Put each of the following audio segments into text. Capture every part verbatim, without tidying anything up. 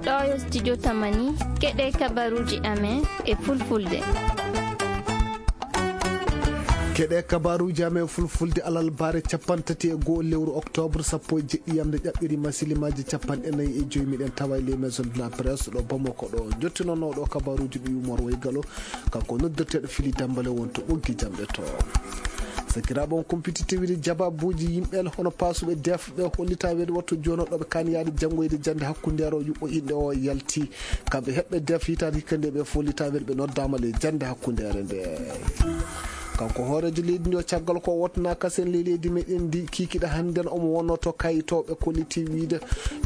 Ɗo yo studio Tamani, keɗe kabaruuji amen e fulfulde. Keɗe kabaruuji amen fulfulde alarbaare capanɗe tati e go'o lewru oktoobre sappo e jeɗɗi yamde ƴaɓɓiri masilimaaji capanɗe nayi e joy. Miɗen tawa e les maisons de la presse ɗo Bamako ɗo. Jottinooɗo kabaruuji ɗi Umar Waygalo, kanko noddirteeɗo Fili Dambale wonto ɓoggi jamɗe to. Sakiraaɓe, on kumpiti tewiri jababuuji yimɓe hono paasuɓe deef ɓe hollita weeɗe wattu jono ɗo ɓe kaani yaade janngoyde jannde hakkundeere o yuɓɓo inɗe o yalti. Kamɓe heɓɓe deef hitaande hikka nde ɓe follita weeɗe ɓe noddaama le jannde hakkundeere nde. Kanko hooreejo leydi ndi o caggal ko wotna kasen ley leydi meɗen ndi kikiɗe hannden omo wonno to kayitooɓe kolliti wiide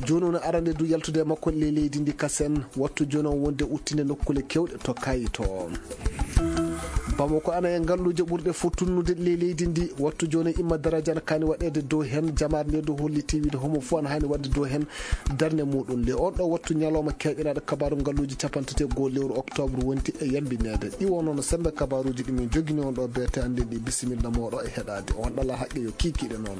jooni woni arande du yaltude e makko ley leydi ndi kasen wattu jooni o wonde uttinde nokkule kewɗe to kayito. Bamako ana e ngalluuje ɓurɗe fof tunnude ley leydi ndi wattu jooni imma daraja ana kaani waɗeede dow heen jamaare nde dow holliti wiide homo fof ana haani waɗde dow heen darnde muɗum le on ɗo wattu ñalawma keɓiraɗo kabaru ngalluuje capanɗe tati e goho lewru oktoobre wonti e yambineede ɗi wonno no sembe kabaruuji ɗi min jogini on ɗo beete annden ɗi bisimilla mooɗo e heɗaade on ɗala haqqe yo kiikiɗe noon.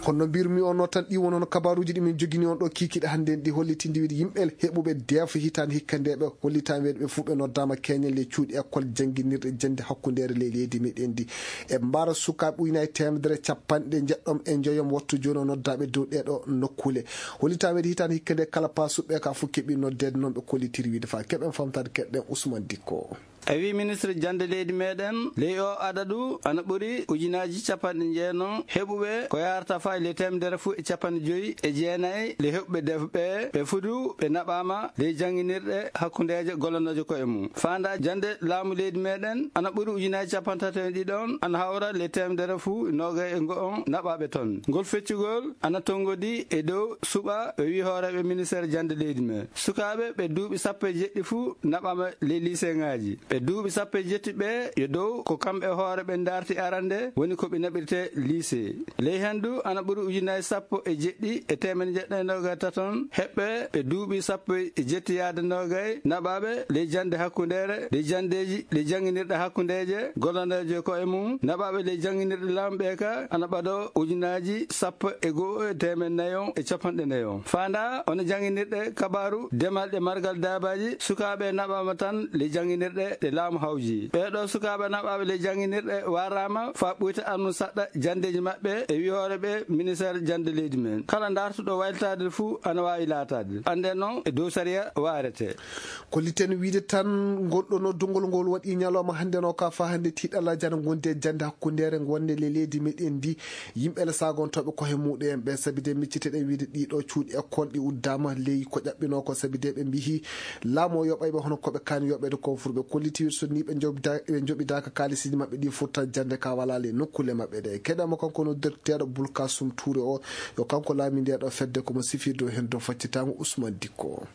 Honno mbirmi on no tan ɗi wonono kabaruuji ɗi min jogini on ɗo kiikiɗe hannden ɗi hollitindi wiide yimɓe heɓuɓe deefa hitaande hikka nde ɓe hollitaani weeɗe ɓe fof ɓe noddaama keñal e cuuɗi école jannginirɗe jannde hakkundeere ley leydi meɗen ndi e mbara sukaaɓe ujunaaji teemedere capanɗe njeɗɗom e njoyom wattu jooni o noddaaɓe dow ɗeeɗo nokkuule. Hollitaani weeɗe hitaande hikka nde kala paasuɓe ka fof keɓi noddeede noon ɓe kollitiri wiide faa keɓen famtaade keɗɗen Ousmane Dikko. A wi ministre jannde leydi meɗen ley o adadu ana ɓuri ujunaaji capanɗe jeenom heɓuɓe ko yarata faa le teemedere fof e capanɗe joyi e jeenayi le heɓuɓe deefa ɓe ɓe fudu ɓe naɓaama ley jannginirɗe hakkundeeje gollanooje koye mum. Faanda jannde laamu leydi meɗen ana ɓuri ujunaaji capanɗe tati e ɗiɗon ana hawra le teemedere fof noogay e ngo'on naɓaaɓe toon. Ngol feccugol ana tonngodi e dow suɓa ɓe wi hooreeɓe ministeer jannde leydi men. Sukaaɓe ɓe duuɓi sappo e jeɗɗi fof naɓaama ley liseŋaaji. Ɓe duuɓi sappo e jeɗɗi ɓe yo dow ko kamɓe hoore ɓe ndarti arande woni ko ɓe naɓirte lise. Ley heen du ana ɓuri ujunaaji sappo e jeɗɗi e teemedde jeɗɗi e noogas taton heɓɓe ɓe duuɓi sappo e jeɗɗi yaade noogay naɓaaɓe ley jannde hakkundeere, ley janndeeji, ley jannginirɗe hakkundeeje, gollanooje ko e mum, naɓaaɓe ley jannginirɗe laamu ɓe ka ana ɓado ujunaaji sappo e go'o e teemedde nayon e capanɗe nayon. Faanda ono jannginirɗe kabaaru demal ɗe margal daabaaji, sukaaɓe naɓaama tan ley jannginirɗe ɗe laamu hawji. Ɓee ɗoo sukaaɓe naɓaaɓe ley jannginirɗe waraama faa ɓuyta arnu saɗɗa janndeeji maɓɓe e wihoore ɓe ministeer jannde leydi men. Kala ndartuɗo waylitaade fuu ana waawi laataade. Annden noon e dow sariya waarete. Kolliten wiide tan ngol ɗoo noddugol ngol waɗi ñalawma hannde no ka faa hannde tiiɗalla jana ngondi e jannde hakkundeere ngonde le leydi meɗen ndi. Yimɓe le sagontooɓe kohe muɗum en ɓe sabi de micciteɗen wiide ɗiɗo cuuɗi école ɗi uddaama ley ko ƴaɓɓinoo ko sabi de ɓe mbihi laamu o yoɓay ɓe hono ko ɓe kaani yoɓeede ko fur ɓe kolliti wiide so ni ɓe njoɓida-, ɓe njoɓidaaka kaalisiji maɓɓe ɗi furta jannde ka wala le nokkuule maɓɓe ɗe. Keɗama kanko noddirteeɗo Bulkasum Tuure o yo kanko laami nde ɗo fedde komo sifirde o heen dow faccitaango Ousmane Dikko.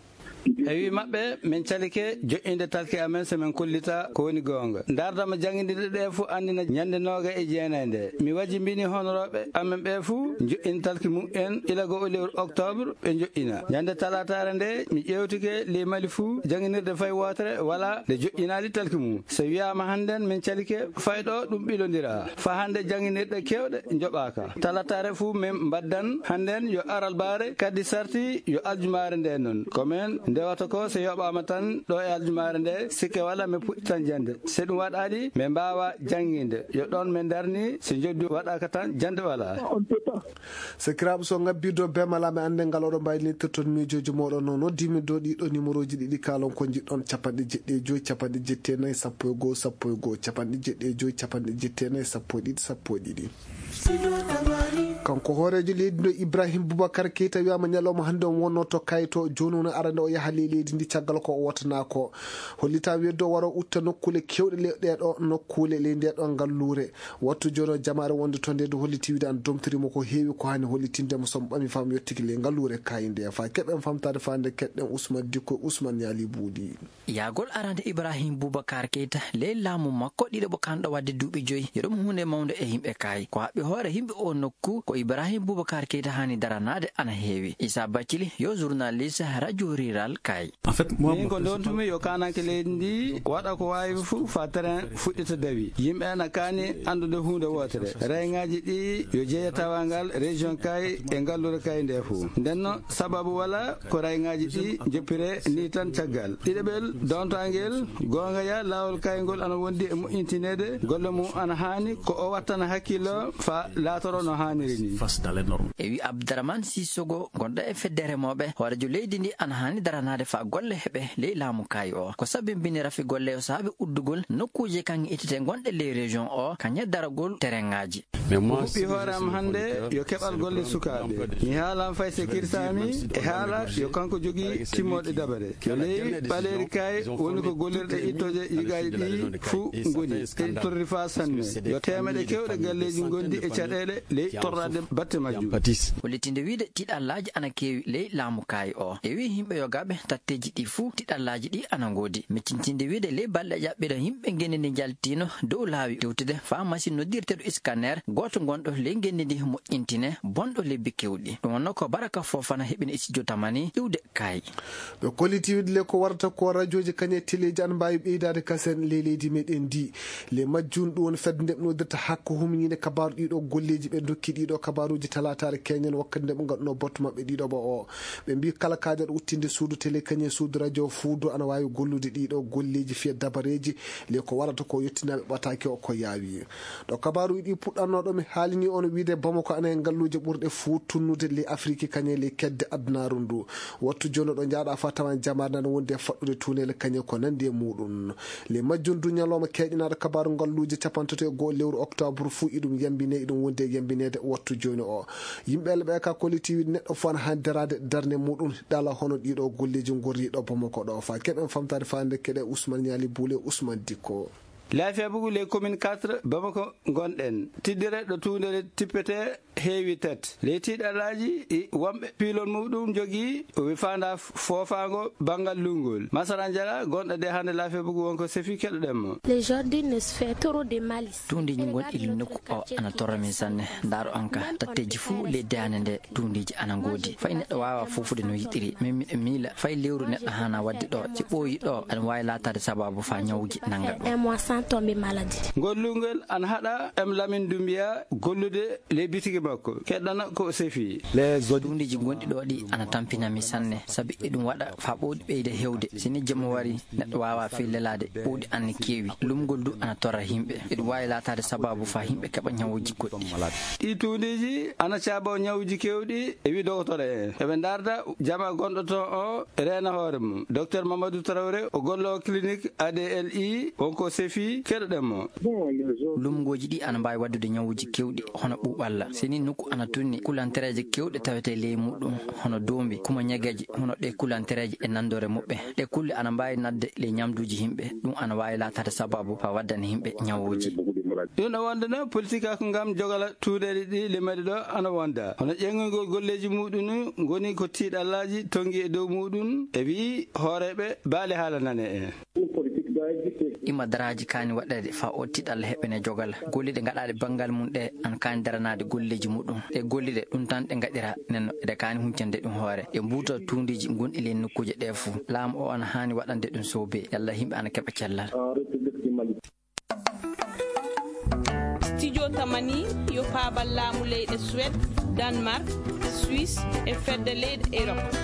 E wi maɓɓe, min calike joƴƴinde talki amen so min kollita ko woni goonga. Ndardama janngindirɗe ɗe fof anndina ñande nooga e jeenayi nde. Mi wajjimbini honorooɓe amen ɓe fof joƴƴinde talki mum en ila goo lewru octobre ɓe joƴƴina. Ñande talaataare nde mi ƴeewtike ley Mali fof jannginirde fay wootere wala nde joƴƴinaali talki mum. So wiyaama hannden min calike fay ɗo ɗum ɓilondira. Faa hannde jannginirɗe keewɗe njoɓaaka. Talataare fuu min mbaddan hannden yo aralbaare, kadi sarti yo aljumaare nde noon. Ko min ndewata ko so yoɓaama tan ɗo e aljumaare nde, sikke wala min puɗɗitan jannde. So ɗum waɗaali, min mbaawa jannginde. Yo ɗoon min ndarni, so njoɓdi waɗaaka tan, jannde wala. Sakiraaɓe, so ngabbii dow bemala mi annde ngal oɗo mbaylinitirton miijooji mooɗon no noddiimi dow ɗiɗo numéroji ɗiɗi kaalon ko njiɗɗon, capanɗe jeɗɗi e joy, capanɗe jeɗɗi e nayi, sappo e goo, sappo e goo, capanɗe jeɗɗi e joy, capanɗe jeɗɗi e nayi, sappo e ɗiɗi, sappo e ɗiɗi. Kanko hooreejo leydi ndo Ibrahim Boubacar Keita wiyaama ñalawma hannde on wonno to kayto, jooni woni arande o yaha ley leydi ndi caggal ko o wotana ko. Hollita weddo waro utta nokkuule kewɗe ley ɗeeɗo nokkuule ley ndeeɗo ngalluure. Wattu jooni o jamaare wonde to nde ndu holliti wiide an domtoriima ko heewi ko haani hollitinde mo so mo ɓami faa mo yottiki ley ngalluure kaayi nde. Faa keɓen famtaade faa nde keɗɗen Ousmane Dikko, Ousmane Yaali Buudi. Yahgol arande Ibrahim Boubacar Keita ley laamu makko ɗiɗaɓo kanɗo waɗde duuɓi joyi, yo ɗum huunde mawnde e yimɓe kaayi. Ko haɓɓi hoore yimɓe oo nokku ko Ibrahim Boubacar Keita haani daranaade ana heewi. Issa Bathily yo journaliste radio rural kay. Min ko ndontumi yo kaananke leydi ndi waɗa ko waawi fof fa terrain fuɗɗita dawi. Yimɓe ana kaani anndude huunde wootere. Rayŋaaji ɗi yo jeeya tawangal région kay e ngalluure kay nde fof. Ndenno sababu wala ko rayŋaaji ɗi joppire ni tan caggal. Ɗiɗaɓel, dontangel, goonga ya, laawol kayngol ana wondi e moƴƴintineede, golle mum ana haani ko o wattana hakkillo fa laatoro no haaniri ni. E wi Abdourahmane Sissoko, gonɗo e fedde remooɓe, hoorejo leydi ndi ana haani daranaade fa golle heɓe ley laamu kay o. Ko sabimbini rafi golle o saabi uddugol nokkuuje kaŋŋe ittete gonɗe ley région o, kañe daragol terrainŋaaji. O huɓɓi hoore am hannde yo keɓal golle sukaaɓe. Mi haalan fay se kirsaami e haala yo kanko jogii timmooɗe dabare. Yo ley ɓaleeri kay woni ko gollirɗe ittooje yigaaji ɗi fuu ngoni. Eɗi torri faa sanne. Yo teemeɗe keewɗe galleeji ngondi e caɗeele ley torraade batte majjum. Hollitinde wiide tiɗallaaji ana keewi ley laamu kay o. E wi yimɓe yogaaɓe tatteeji ɗi fuu tiɗallaaji ɗi ana ngoodi. Miccintinde wiide ley balɗe ƴaɓɓiɗe yimɓe ngenndi ndi njaltino dow laawi tewtude faa machine noddirteeɗo scanner gooto gonɗo ley ngenndi ndi moƴƴintine bonɗo lebbi keewɗi. Ɗum wonno ko Baraka Fofana heɓini e studio Tamani iwde kay. Ɓe kolliti wiide le ko warata ko radiooji kañe teleeji ana mbaawi ɓeydaade kasen ley leydi meɗen ndi. Le majjum ɗum woni fedde nde ɓe noddirta hakko humñiinde kabaaru ɗiɗo golleeji ɓe ndokki ɗiɗo kabaaruuji talaataare keñen wakkati nde ɓe ngaɗuno bottu maɓɓe ɗiɗo ɓo o. Ɓe mbi kala kaajaɗo uttinde suudu télé kañum e suudu radio fuu du ana waawi gollude ɗiɗo golleeji fiya dabareeji le ko warata ko yettinaaɓe ɓataake o ko yaawi. Ɗo kabaaruuji ɗi puɗɗanno ɗo mi haalini on wiide Bamako ana e ngalluuje ɓurɗe fuu tunnude le Afrique kañum e le kedde adunaaru ndu. Wattu jooni ɗo njaaɗa fa tawan jamaare nana wondi e faɗɗude tuuneele kañum ko nandi e muɗum. Le majjum du ñalawma keeƴanaaɗo kabaaru ngalluuje capantato e go'o lewru octobre fuu iɗum yambine iɗum wondi e yambineede wattu jooni o. Yimɓe le ɓe ka kolliti wiide neɗɗo fof ana haani daraade darnde muɗum ɗala hono ɗiɗo golleeji ngorri ɗo Bamako ɗo fa keɓen famtaade faande keɗe Ousmane Ñaali Buule Ousmane Dikko. Laafiya bugu les communes quatre Bamako ngonɗen tiddere ɗo tuundere tippete heewi tet ley tiɗalaaji ɗi wonɓe piilol muɗum jogii o wi faanda foofaango banngal lunngol masara njala gonɗo de hannde laafiya bugu wonko sefi keɗoɗen mo. Les jardins ne se fait trop de malice. Tuundiji gonɗi nokku o ana torra min sanne. Ndaaro an ka tatteji fuu ley daande nde tuundiji ana ngoodi fay neɗɗo waawa foofude no yiɗiri min miɗo miila fay lewru neɗɗo haana waɗde ɗo ci ɓooyi ɗo ana waawi laataade sababu fa ñawuji nannga ɗum. Un mois sans tomber maladie. Ngol lunngol ana haɗa em lamin dumbiya gollude ley bitigi makko keɗɗana ko o sefi. Tuundiji gonɗi ɗo ɗi ana tampina mi sanne sabi eɗum waɗa fa ɓooɗi ɓeyda hewde sini jemma wari neɗɗo waawa fey lelaade ɓooɗi anne keewi lumgol du ana torra yimɓe eɗum waawi laataade sababu fa yimɓe keɓa ñawuji goɗɗi. Ɗi tuundiji ana caabo ñawuji kewɗi e wi dogotoro en eɓe ndarda jama gonɗo toon o reena hoore mum docteur Mamadou Traoré o gollo clinique A D L I wonko sefi keɗoɗen mo. Lumgooji ɗi ana mbaawi waɗdude ñawuuji keewɗi hono ɓuuɓalla. Sini nokku ana tunni kulantereeje keewɗe tawetee ley muɗum hono doombi kuma ñageeje hono ɗe kulantereeje e nanndoore muɓɓe. Ɗe kulle ana mbaawi naatde ley ñamduuji yimɓe. Ɗum ana waawi laataade sabaabu faa waddana yimɓe ñawuuji. Ɗum ɗo wonde noon politique ko ngam jogala tuuɗeele ɗi limani ɗo ana wonda hono ƴeeŋgol golleeji muɗum ngoni ko tiiɗallaaji tonngi e dow muɗum e wi'i hooreeɓe baale haala nane en. Ima daraaji kaani waɗeede faa oo tiiɗalla heɓene jogal. Golliɗe ngaɗaaɗe banngal mum ɗe ana kaani daranaade golleeji muɗum. Ɗe golliɗe ɗum tan ɗe ngaɗira nenno eɗe kaani huncande ɗum hoore. Ɗe mbuuta tuundiiji gonɗi ley nokkuuje ɗe fof. Laamu o ana haani waɗande ɗum soobe yalla yimɓe ana keɓa cellal. Studio Tamani yo paabal laamu leyɗe Suède, Danemark, Suisse e fedde leyɗe Europe.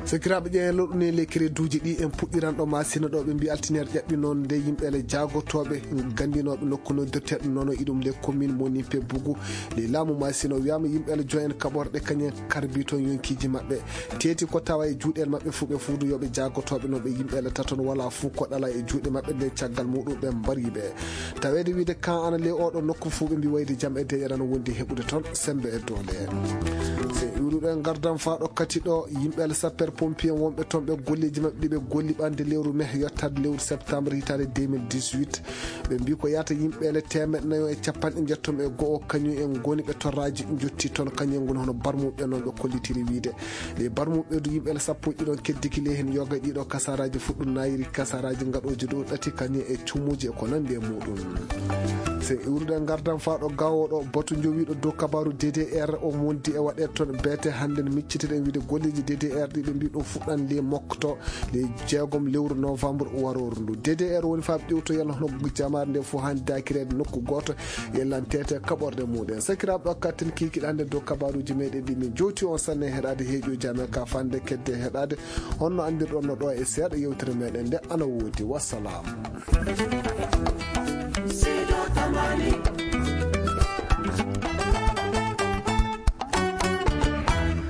Sakiraaɓe ƴeewen loɗɗune les créduuji ɗi en puɗɗiran ɗo masina ɗo ɓe mbi altiniere ƴaɓɓi noon nde yimɓe ele jaagotooɓe gandinooɓe nokku noddirteeɗo nono iɗum le commune mo nimpe bugu le laamu masina o wiyama yimɓe ele joyen kaɓorɗe kañen karbi toon yonkiiji maɓɓe teeti ko tawa e juuɗel maɓɓe fuu ɓe fuudu yooɓe jaagotooɓe noon ɓe yimɓe ele taton wala fuu ko ɗala e juuɗe maɓɓe nde caggal muɗum ɓe mbari ɓe taweede wiide kan ana le oɗo nokku fuu ɓe mbi wayde jam e deƴere ana wondi heɓude toon sembe e doole en se iwruɗo en gardan faa ɗo kati ɗo yimɓe ele sapper Pompier en wonɓe toon ɓe golleeji maɓɓe ɗi ɓe golli ɓande lewru mai yottaade lewru septembre hitaande deux mille dix-huit. Ɓe mbi ko yata yimɓe ele teemeɗɗe nayo e capanɗe njettom e go'o kañum en ngoni ɓe torraaji jotti toon kañum en ngoni hono barmuɓe noon ɓe kollitiri wiide. Ɗe barmuɓe du yimɓe ele sappo e ɗiɗon keddiki ley heen yoga e ɗiɗo kasaraaji fuɗɗum nayiri kasaraaji ngaɗooji dow ɗati kañum e cumuuji e ko nandi e muɗum. Sen iwrude ngardan faa ɗo gawo ɗo batu jowiiɗo dow kabaru D D R o wondi e waɗe toon beete hannde no miccitiɗen wiide golleeji D D R ɗi ɓe mbi ɗum fuɗɗan ley mokto ley jeegom lewru novembre warooru ndu. D D R woni faa ƴewto yalla hono jamaare nde fof haani daakireede nokku gooto yellan tete kaɓorde muɗen. Sakiraaɓe ɗo katten kiikiɗande dow kabaruuji meɗen ɗi min jowti on sanne heɗaade heeƴooji amen ka fande kedde heɗaade honno anndirɗon no ɗo e seeɗa yewtere meɗen nde ana woodi. Wassalam.